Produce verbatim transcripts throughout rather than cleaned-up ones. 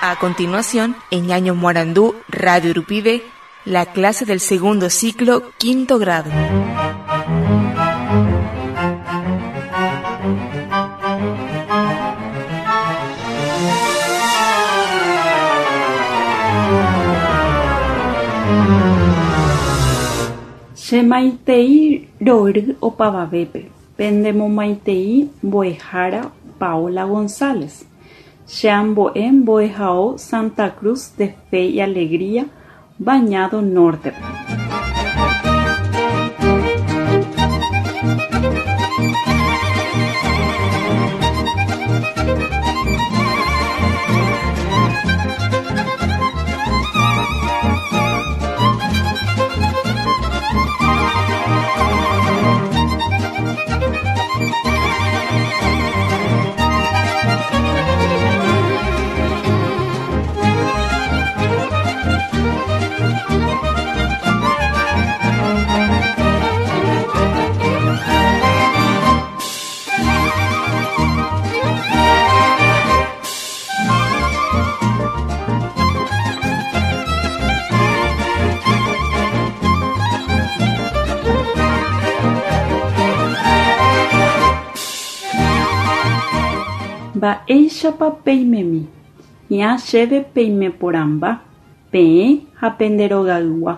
A continuación, en Ñaño Morandú, Radio Rupibe, la clase del segundo ciclo, quinto grado. Che maitei rory opavavépe, pendemomaitei mbo'ehára Paola González. Che ambo'e mbo'ehao Santa Cruz de Fe y Alegría, Bañado Norte. Mba'éichapa peimemi, hi'ã chéve peimeporãmba, peẽ ha penderogaygua,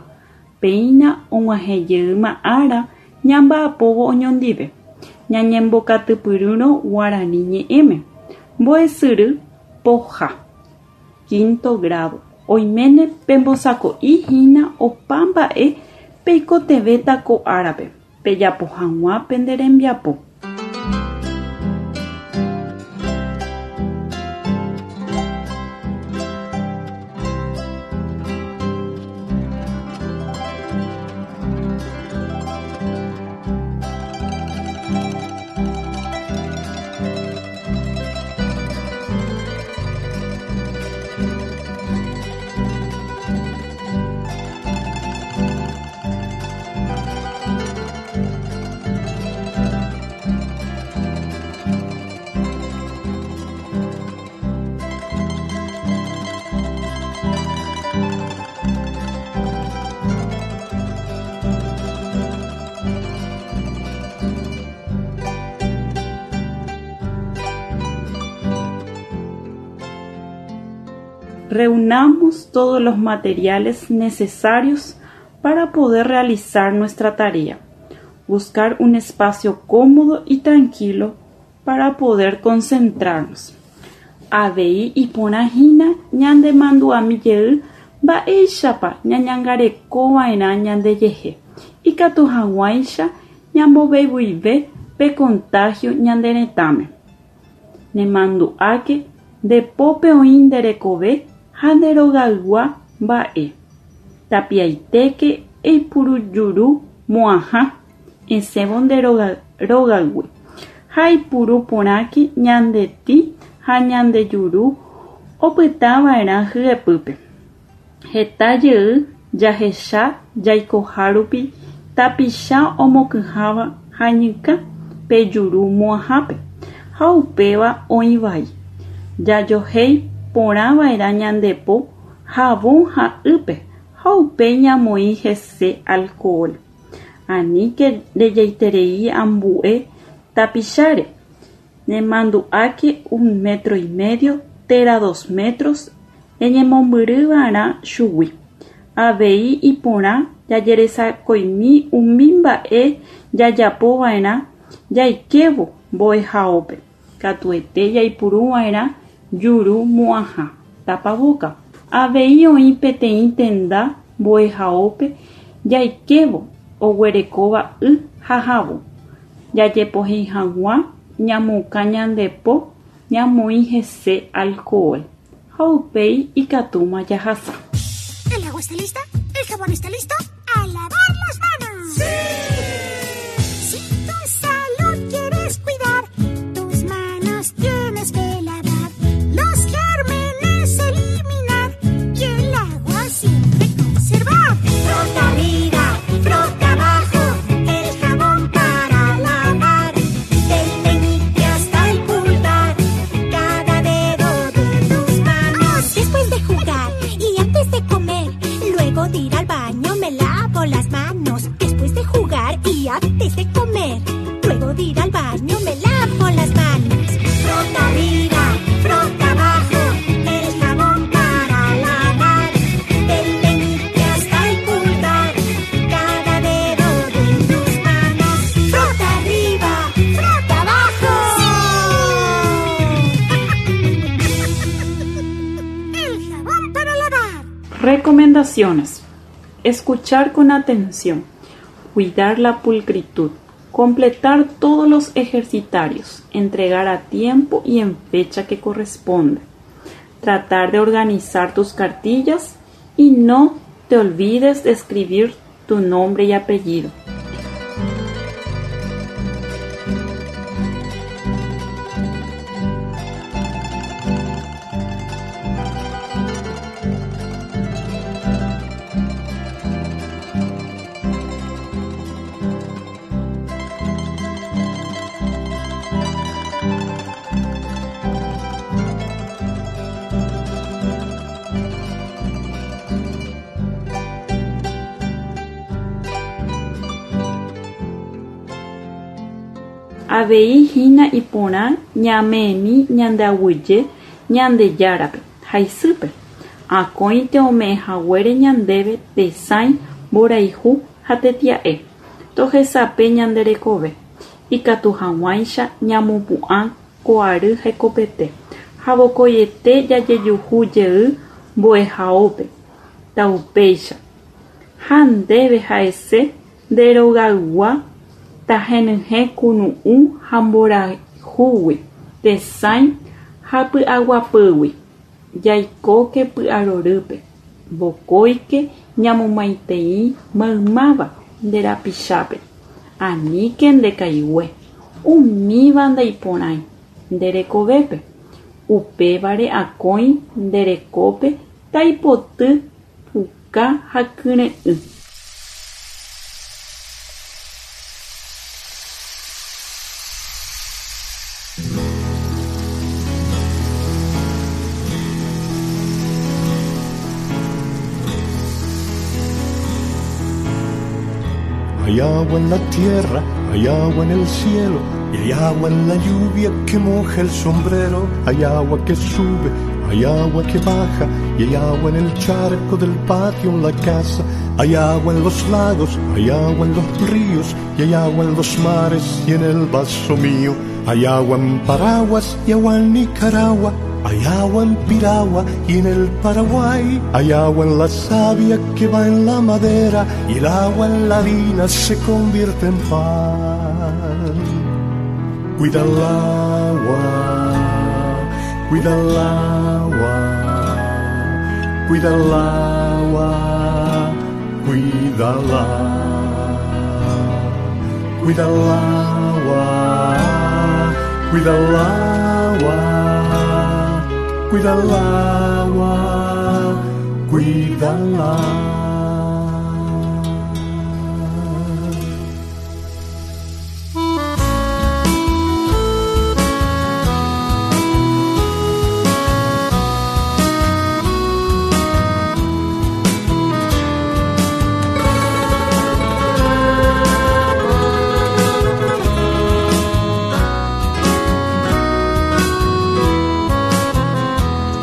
péina og̃uahẽjeýma ára ñamba'apóvo oñondive, ñañembokatupyrýrõ Guarani ñe'ẽme. Mbo'esyry poha. Quinto grado. Oiméne pembosako'ihína opa mba'e peikotevẽta ko árape pejapo hag̃ua pene rembiapo. Reunamos todos los materiales necesarios para poder realizar nuestra tarea. Buscar un espacio cómodo y tranquilo para poder concentrarnos. Avei iporãhína ñandemandu'ami jey mba'éichapa ñañangarekova'erã ñandejehe ikatu hag̃uáicha ñambovevuive pe contagio ñane retãme. Nemandu'áke ndepópe oĩ nde rekove ha nde rogaygua mba'e. Tapiaitéke eipuru juru mo'ãha esẽvo nde rogaygui ha eipuru porãke ñande tĩ ha ñande juru opytava'erã hyepýpe. Heta jey jahecha jaikohárupi tapicha omokyháva hañykã pe juru mo'ãhápe ha upéva oĩvai. Jajohéi porãva'erã ñande po havõ ha ýpe ha upéi ñamoĩ hese alcohol. Aníke rejaiterei ambue tapicháre. Nemandu'áke un metro y medio térã dos metros eñemombyryva'erã chugui. Avei iporã jajeresakoimi umi mba'e jajapova'erã jaikévo mbo'ehaópe. Katuete jaipuruva'erã juru mo'ãha tapaboka. Avei oĩ peteĩ tenda mbo'ehaópe jaikévo oguerekóva y ha havõ. Jajepohéi hag̃ua ñamokã ñande po ñamoĩ hese alcohol ha upéi ikatúma jahasa. ¿El agua está lista? ¿El jabón está listo? ¡A lavar las manos! ¡Sí! Si tu salud quieres cuidar, tus manos tienes que lavar, los gérmenes eliminar y el agua siempre conservar. Frota arriba, frota abajo, el jabón para lavar, del meñique hasta el pulgar, cada dedo de tus manos. Después lavo las manos después de jugar y antes de comer. Luego de ir al baño me lavo las manos. Frota arriba, frota abajo, el jabón para lavar. Del meñique hasta el pulgar, cada dedo de tus manos. Frota arriba, frota abajo. ¡Sí! El jabón para lavar. Recomendaciones. Escuchar con atención, cuidar la pulcritud, completar todos los ejercitarios, entregar a tiempo y en fecha que corresponde, tratar de organizar tus cartillas y no te olvides de escribir tu nombre y apellido. Avei hína iporã ñame'ẽmi ñande aguyje Ñandejárape ha isýpe, akóinte ome'ẽhaguére ñandéve tesãi, mborayhu ha tetia'e, tohesape ñande rekove, ikatu hag̃uáicha ñamopu'ã ko ary hekopete ha vokoiete jajejuhu jey mbo'ehaópe, taupéicha. Ha ndéve ha'ese nde rogaygua tahenyhẽ kunu'ũ ha mborayhúgui, tesãi ha py'aguapýgui, jaikóke py'arorýpe, vokóike ñamomaitei maymáva nde rapichápe, aníke ndekaigue, umíva ndaiporãi nde rekovépe, upévare akói nde rekópe taipoty puka ha kyre'ỹ. Hay agua en la tierra, hay agua en el cielo, y hay agua en la lluvia que moja el sombrero. Hay agua que sube, hay agua que baja, y hay agua en el charco del patio en la casa. Hay agua en los lagos, hay agua en los ríos, y hay agua en los mares y en el vaso mío. Hay agua en Paraguas y agua en Nicaragua. Hay agua en Piragua y en el Paraguay. Hay agua en la savia que va en la madera, y el agua en la harina se convierte en pan. Cuida el agua, cuida el agua, cuida el agua, cuídala. Cuida el agua, cuida el agua. Cuida el agua, cuídala.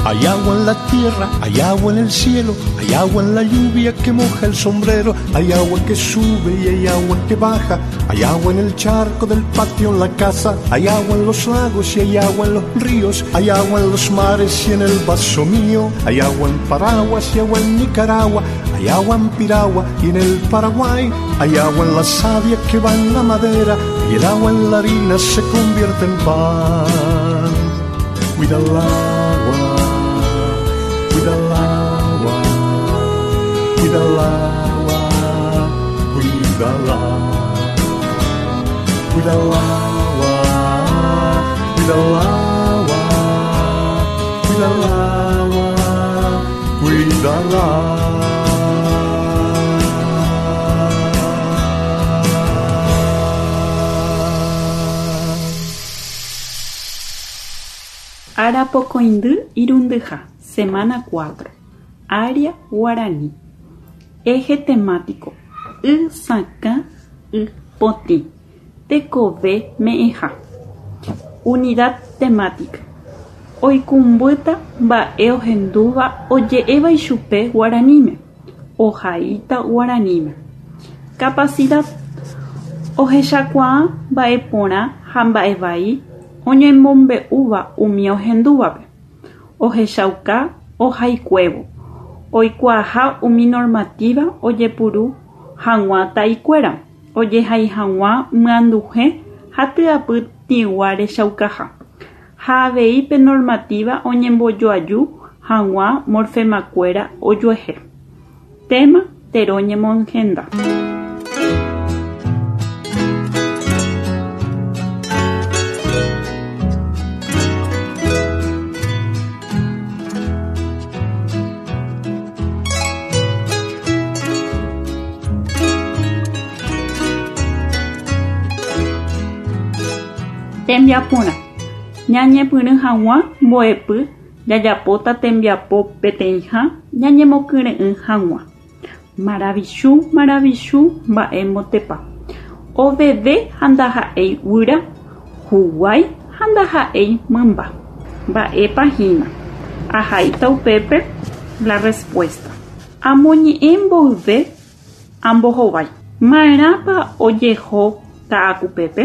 Hay agua en la tierra, hay agua en el cielo, hay agua en la lluvia que moja el sombrero, hay agua que sube y hay agua que baja, hay agua en el charco del patio en la casa, hay agua en los lagos y hay agua en los ríos, hay agua en los mares y en el vaso mío, hay agua en Paraguas y agua en Nicaragua, hay agua en Piragua y en el Paraguay, hay agua en la savia que va en la madera, y el agua en la harina se convierte en pan. Cuida el agua. Cuida el agua, cuida el agua, cuídala. Cuida el agua, cuida el agua, cuida el agua, cuídala. Arapokõindy irundyha. Semana cuatro. Área Guaraní. Eje temático. Y sakã y potĩ tekove me'ẽha. Unidad temática. Oikũmbýta mba'e ohendúva oje'éva ichupe guaraníme. Ohaíta guaraníme. Capacidad. Ohechakuaa mba'eporã ha mba'evai oñemombe'úva umi ohendúvape. Ohechauka ohaikuévo. Oikuaaha umi normativa ojepuru hag̃ua taikuéra. Ojehai hag̃ua myanduhe ha tyapy tĩgua rechaukaha. Ha avei pe normativa oñembojoaju hag̃ua morfemakuéra ojuehe. Tema tero ñemohenda. Tembiaporã. Ñañepyrũ hag̃ua mbo'epy jajapóta tembiapo peteĩha ñañemokyre'ỹ hag̃ua. Maravichu, maravichu, mba'e mbotepa. Oveve ha ndaha'éi guyra, huguái ha ndaha'éi mymba. Mba'épa hína. Ahaíta upépe la respuesta. Amoñe'ẽ mboyve ambohovái. Ma'erãpa ojeho Ka'akupépe?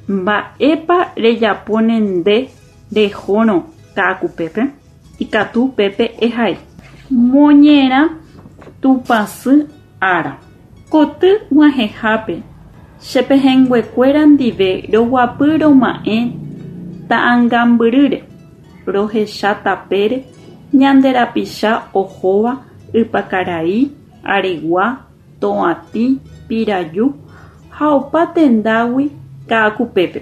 Mba'épa rejapóne nde rehórõ Ka'akupépe? Ikatu upépe ehai. Moñerã Tupãsy ára. Koty g̃uahẽhápe chepehẽnguekuéra ndive roguapy roma'ẽ ta'ãngambyrýre. Rohecha tapére ñande rapicha ohóva Ypakarai, Aregua, Toatĩ, Piraju ha opa tendágui Ka'akupépe.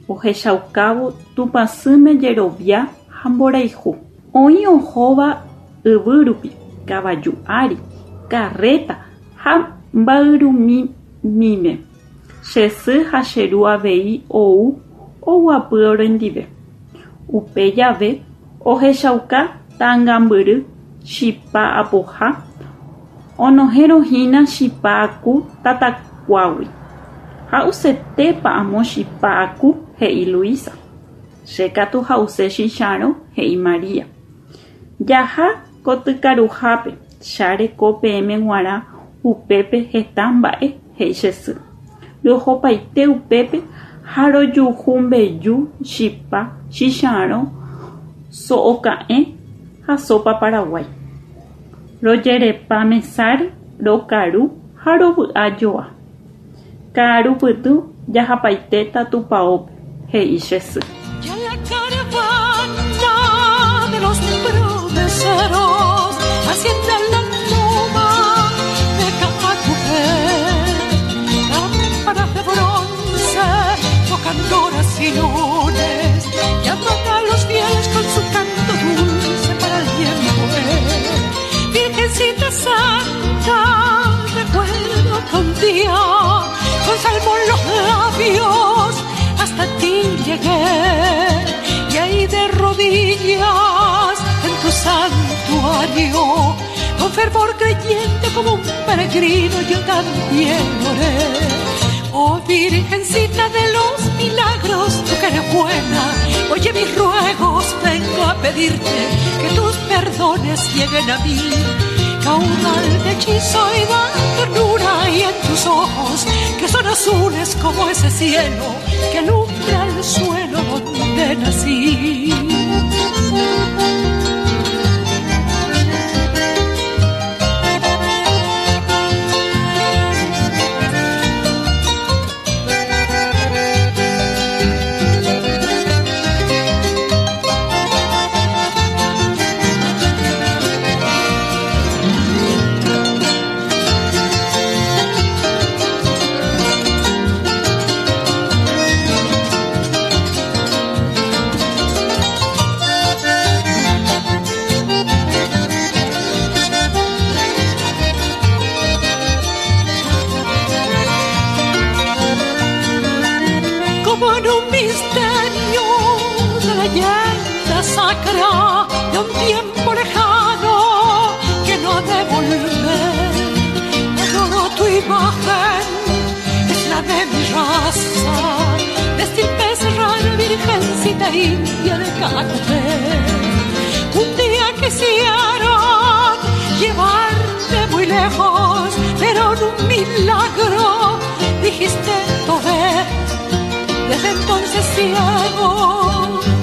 Ohechaukávo Tupãsýme jerovia ha mborayhu. Oĩ ohóva yvýrupi, kavaju ári, karréta ha mba'yrumýime. Che sy ha che ru avei ou oguapy orendive. Upe jave ohechauka ta'ãngambyry chipa apoha onohẽrõhína chipa aku tatakuágui. Ha'usetépa amo chipa aku, he'i Luisa. Che katu ha'use chicharõ, he'i Maria. Jaha kotykaruhápe chareko peẽme g̃uarã upépe heta mba'e, he'i che sy. Rohopaite upépe ha rojuhu mbeju, chipa, chicharõ, so'oka'ẽ ha sopa paraguái. Rojerepa mesáre, rokaru ha rovy'ajoa. Ka'arupytũ jahapaitéta tupãópe, he'i che sy. Ya la caravana de los promeseros asciende a la loma de Ka'akupé. Campanas de bronce tocan horas y lunes, llaman a los fieles con su canto dulce para el tiempo. Virgencita Santa, recuerdo que un día con salmo en los labios hasta ti llegué, y ahí de rodillas en tu santuario, con fervor creyente como un peregrino yo también oré. Oh Virgencita de los milagros, tú que eres buena, oye mis ruegos, vengo a pedirte que tus perdones lleguen a mí. Caudal de hechizo y da ternura, y en tus ojos que son azules como ese cielo que alumbra el suelo donde nací. Sacra de un tiempo lejano que no ha de volver. Adoro tu imagen. imagen es la de mi raza, de estirpe serrana, virgencita india de Caacupé. Un día quisieron llevarte muy lejos, pero en un milagro dijiste tobe. Desde entonces ciego,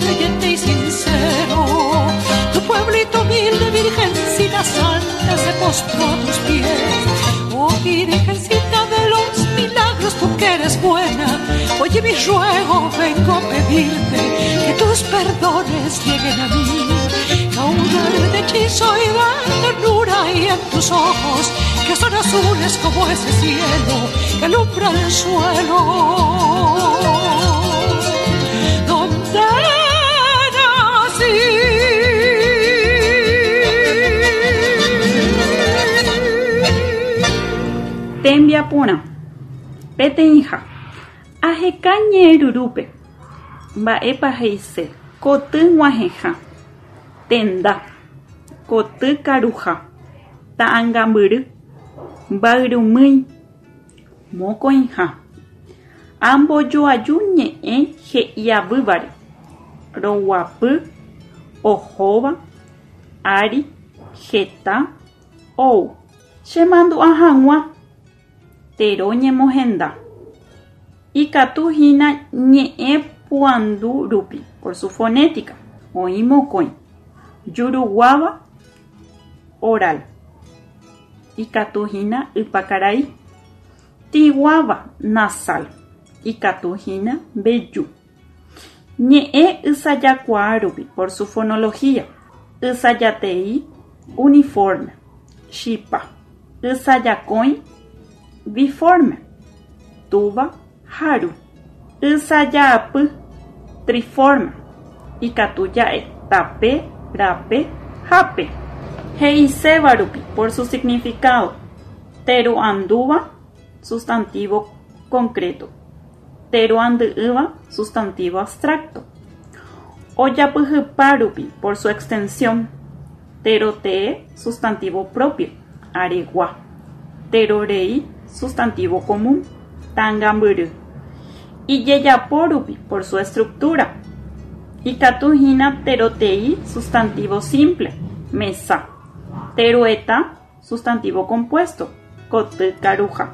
creyente y sincero, tu pueblito humilde, virgencita santa, se postró a tus pies. Oh virgencita de los milagros, tú que eres buena, oye mi ruego, vengo a pedirte que tus perdones lleguen a mí. Caudal de hechizo y de ternura, y en tus ojos que son azules como ese cielo que alumbra el suelo donde nací. Tembiaporã, peteĩha, aheka ñe'ẽrurúpe, mba'épa he'ise koty g̃uahẽha, tenda, koty karuha, ta'ãngambyry, mbayrumýi, mokõiha, ambojoaju ñe'ẽ he'iavývare, roguapy, ohóva, ári, heta, ou, chemandu'a hag̃ua, tero ñemohenda, ikatuhína ñe'ẽ puandu rupi por su fonética, oĩ mokõi, juruguáva, oral, ikatuhína ypakarai, tĩguáva, nasal, ikatuhína mbeju, ñe'ẽ ysajakuaa rupi por su fonología, ysajateĩ, uniforme, chipa, ysajakõi, biforme, túva, haru, ysajaapy, triforme, ikatu ja'e tape, rape, hape, he'iséva rupi por su significado, teroandúva, sustantivo concreto, teroandy'ỹva, sustantivo abstracto, ojapyhypa rupi por su extensión, terotee, sustantivo propio, aregua, terorei, sustantivo común, tangambyry, ijejapo rupi por su estructura, ikatuhína terotei, sustantivo simple, mesa, teroeta, sustantivo compuesto, koty karuha.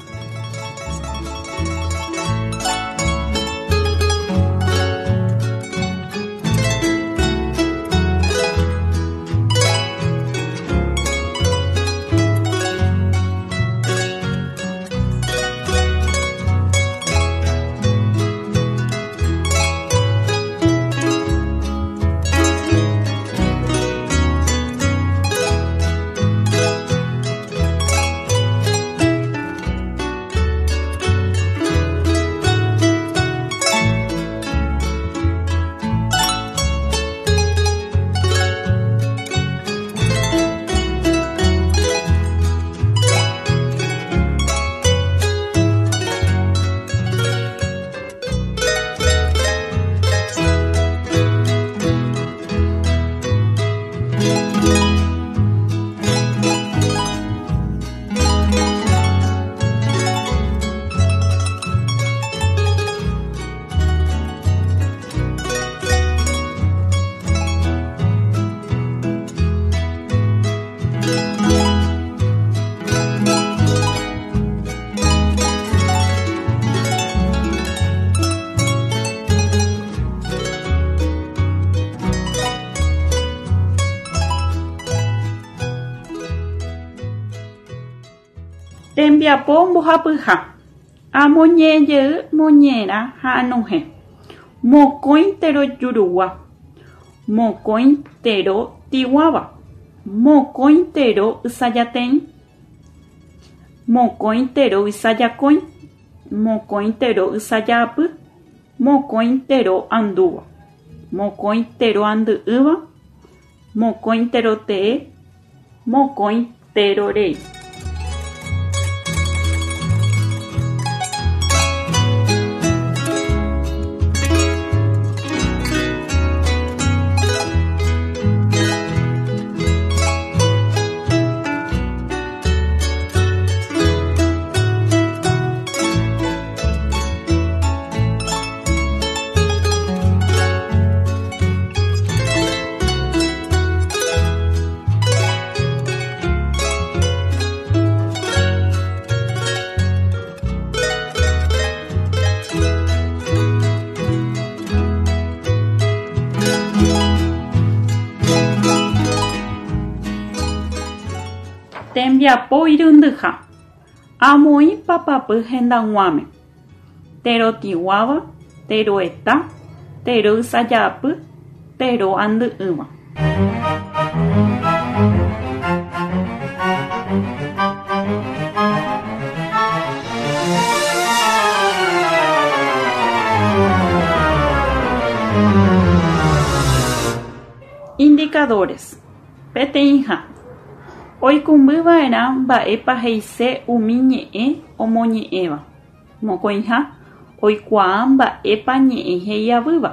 Tembiapo mbohapyha. Amoñe'ẽjey moñe'ẽrã ha anohẽ. Mokõi tero jurugua, mokõi tero tĩguáva, mokõi tero ysajateĩ, mokõi tero ysajakõi, mokõi tero ysajaapy, mokõi tero andúva, mokõi tero andy'ỹva, mokõi tero tee, mokõi tero rei. Tembiapo irundyha. Amoĩ papapy hendag̃uáme. Terotĩguáva, teroeta, teroysaja'apy, tero'andy'ỹva. Indicadores. Peteĩha. Oikũmbyva'erã mba'épa he'ise umi ñe'ẽ omoñe'ẽva. Mokõiha. Oikuaa mba'épa ñe'ẽ he'iavýva.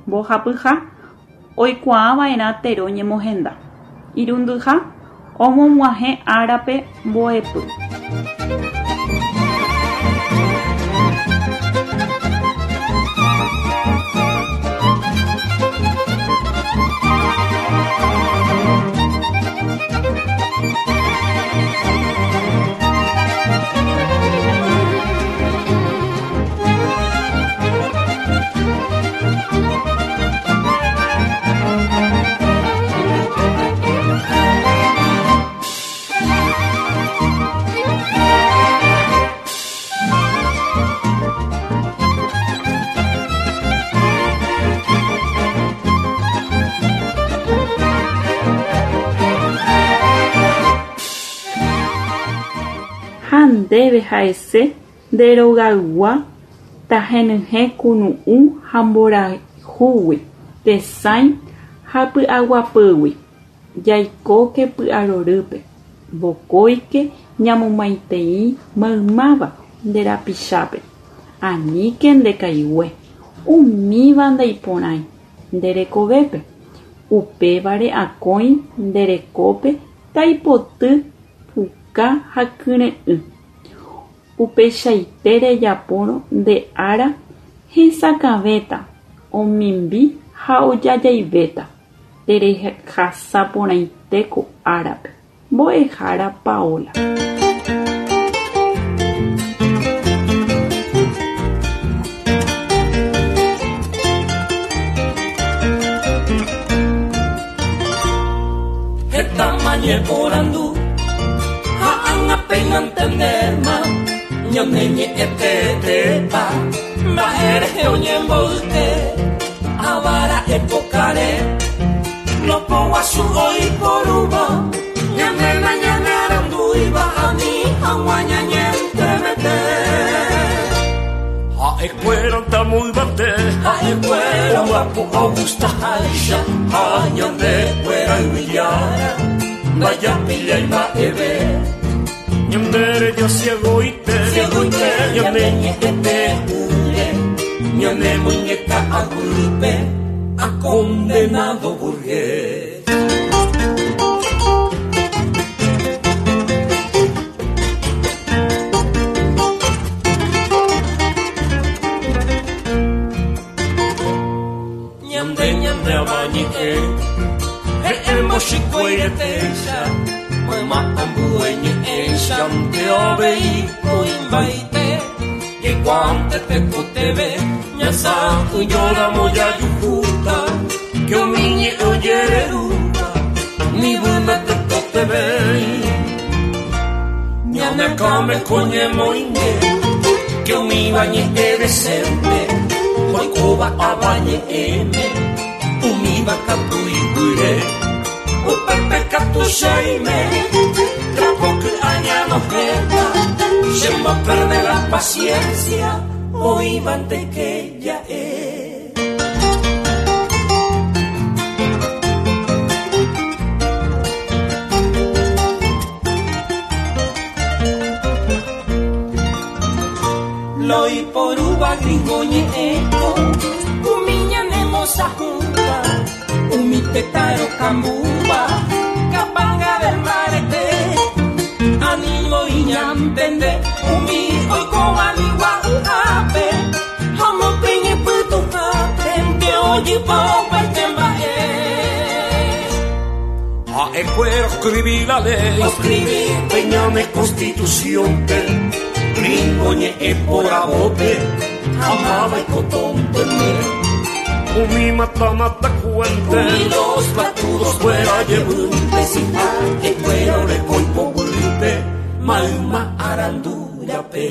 Mbohapyha. Oikuaava'erã tero ñemohenda. Irundyha. Omog̃uahẽ árape mbo'epy. Ha ndéve ha'ese nde rogaygua tahenyhẽ kunu'ũ ha mborayhúgui, tesãi ha py'aguapýgui. Jaikóke py'arorýpe. Vokóike ñamomaitei maymáva nde rapichápe. Aníke ndekaigue. Umíva ndaiporãi nde rekovépe. Upévare akói nde rekópe taipoty puka ha kyre'ỹ. Upeichaite rejapórõ nde ára hesakãvéta, omimbi ha ojajaivéta. Terehasaporãite ko árape. Mbo'ehára Paola. Heta mañeporandu ha'ág̃a ñane ñe'ẽtetépa mba'érehe oñemboyke avara epokare lopoguasu oiporúva ñanéna ñane arandúiva ani hag̃ua ñañentremete ha'ekuéra tamoyvate ha'ekuéra guapo ogustaháicha ha ñandekuéra yvyjára ndajapillái mba'eve Ñandere yo ciegoite, ciegoite, ñane ñe'ẽte ure, ñane muñeca agüipe, a condenado burgués. Ñande ñande abañe'e, he'ẽmbochikuairetéicha, mayma ambue ñe'ẽichante avei oĩmbaite jaikuaánte tekotevẽ ñasã'ỹjóramo jajuhúta que umi ñe'ẽ ojererúva nivýme tekotevẽi ñane akãme ko ñemoĩnge que umíva ñe'ẽ decente oikóva avañe'ẽme umíva katu iguýre upépe katu cheime trapoky'a ñanohẽta chemboperde la paciencia oĩvante que ja'e. Loiporúva gringo ñe'ẽko umi ñane mosajúva umi tetã rokambúva kapanga del mbarete animo iñantende umi oikóva nigua'y'ápe ha omopeñepytuhápe nde ojypa opaite mba'e. Ha'ekuéra oscribí la ley, Oscribí pe ñane constitución-pe gringo ñe'ẽ poravópe ha máva ikotónteme umi mata mata cuente umi los patudos fuera yevýnte si ha'ekuéra oreko ipoguýpe Mayma arandúrape.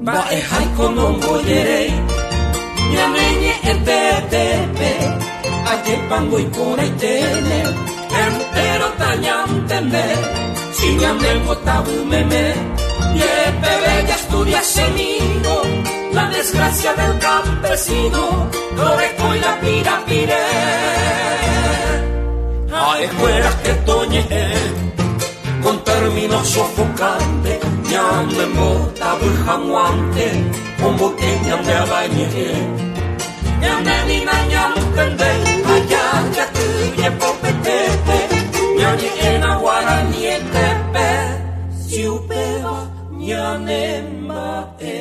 Mba'e konombojerei ñane ñe'ẽtetépe ajepango iporãiténe entero tañantende si ñanembotavymeme yepe bella estudia semigo la desgracia del campesino Loreco y la pirapire Aejuera que toñe con términos sofocantes ñanembotavy omboke ñande avañe'ẽ ñande nina ñantende allá yaty jepopetépe ñañe'ẽna guaranietépe si upéva ñanemba'e.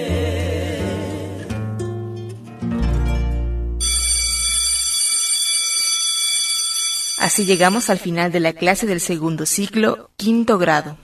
Así llegamos al final de la clase del segundo ciclo, quinto grado.